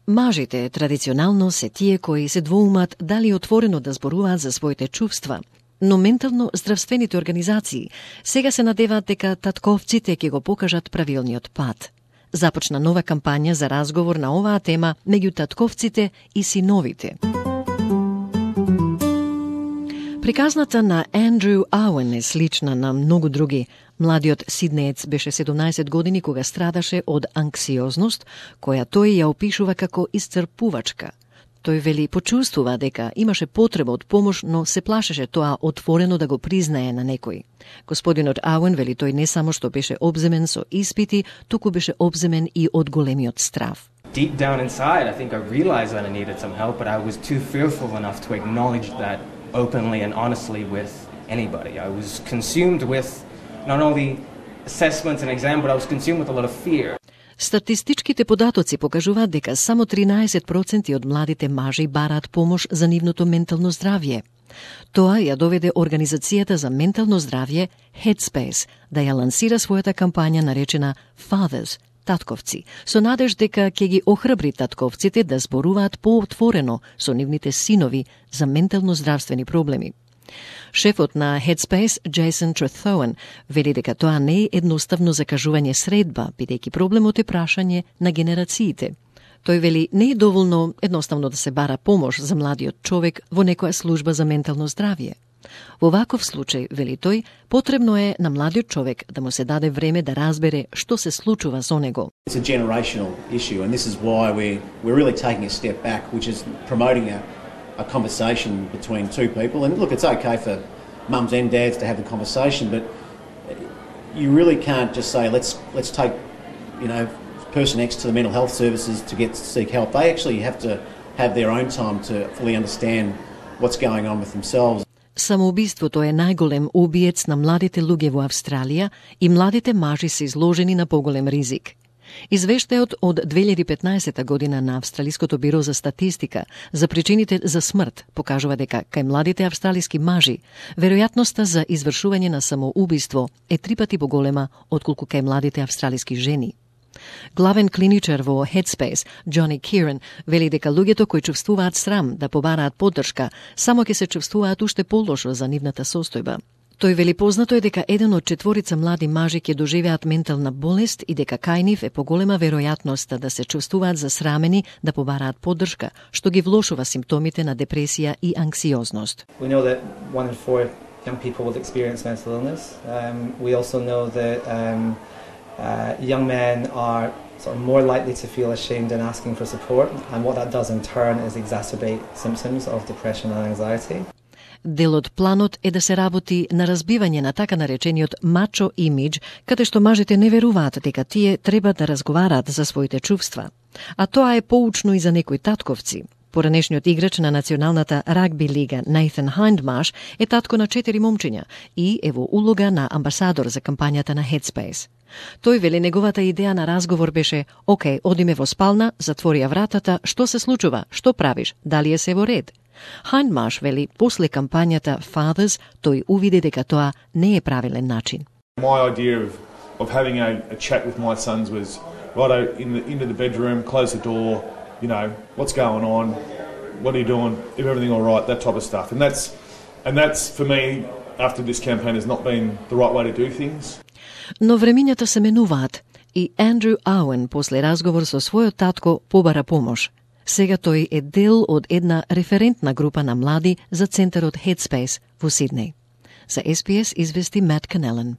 Мажите традиционално се тие кои се двоумат дали отворено да зборуваат за своите чувства, но ментално здравствените организации сега се надеваат дека татковците ќе го покажат правилниот пат. Започна нова кампања за разговор на оваа тема меѓу татковците и синовите. Приказната на Андрю Ауен е слична на многу други. Младиот сиднеец беше 17 години кога страдаше од анксиозност, која тој ја опишува како исцрпувачка. Тој вели почувствува дека имаше потреба од помош, но се плашеше тоа отворено да го признае на некој. Господинот Ауен вели тој не само што беше обземен со испити, туку беше обземен и од големиот страв. Deep down inside, I think I realized that I needed some help, but I was too fearful enough to acknowledge that openly and honestly with anybody. I was consumed with not only assessments and exam, but I was consumed with a lot of fear. Статистичките податоци покажуваат дека само 13% од младите мажи бараат помош за нивното ментално здравје. Тоа ја доведе Организацијата за ментално здравје Headspace да ја лансира својата кампања наречена Fathers, татковци, со надеж дека ќе ги охрабри татковците да зборуваат поотворено со нивните синови за ментално здравствени проблеми. Шефот на Headspace, Jason Trethowen, вели дека тоа не е едноставно закажување средба, бидејќи проблемот е прашање на генерациите. Тој вели не е доволно едноставно да се бара помош за младиот човек во некоја служба за ментално здравје. Во ваков случај, вели тој, потребно е на младиот човек да му се даде време да разбере што се случува со него. It's a generational issue, and this is why we're really taking a step back, which is promoting a conversation between two people. And look, it's okay for mums and dads to have the conversation, but you really can't just say let's take, person X to the mental health services to seek help. They actually have to have their own time to fully understand what's going on with themselves. Самоубиството е најголем убиец на младите луѓе во Австралија и младите мажи се изложени на поголем ризик. Извештајот од 2015 година на Австралиското биро за статистика за причините за смрт покажува дека кај младите австралиски мажи веројатноста за извршување на самоубиство е 3 пати поголема отколку кај младите австралиски жени. Главен клиничар во Headspace, Джони Кирен, вели дека луѓето кои чувствуваат срам да побараат поддршка, само ќе се чувствуваат уште полошо за нивната состојба. Тој вели познато е дека 1 од 4 млади мажи ќе доживеат ментална болест и дека кај нив е поголема веројатноста да се чувствуваат засрамени да побараат поддршка, што ги влошува симптомите на депресија и анксиозност. We know that 1 in 4 young people will experience mental illness. We also know that young men are sort of more likely to feel ashamed in asking for support, and what that does in turn is exacerbate symptoms of depression and anxiety. Дел од планот е да се работи на разбивање на така наречениот мачо имидж, каде што мажите не веруваат дека тие треба да разговараат за своите чувства. А тоа е поучно и за некои татковци. Поранешниот играч на националната рагби лига Nathan Hindmarsh е татко на 4 момчиња и е во улога на амбасадор за кампањата на Headspace. Тој вели неговата идеја на разговор беше: "Океј, одиме во спална, затвори ја вратата, што се случува, што правиш, дали е се во ред?" Hindmarsh вели после кампањата Fathers тој увиде дека тоа не е правилен начин. My idea of having a chat with my sons was right into the bedroom, close the door, what's going on, what are you doing, is everything all right, that type of stuff. And that's for me after this campaign has not been the right way to do things. Но времињата се менуваат и Андрю Ауен после разговор со својот татко побара помош. Сега тој е дел од една референтна група на млади за центарот Headspace во Сиднеј. За SBS извести Мат Канелен.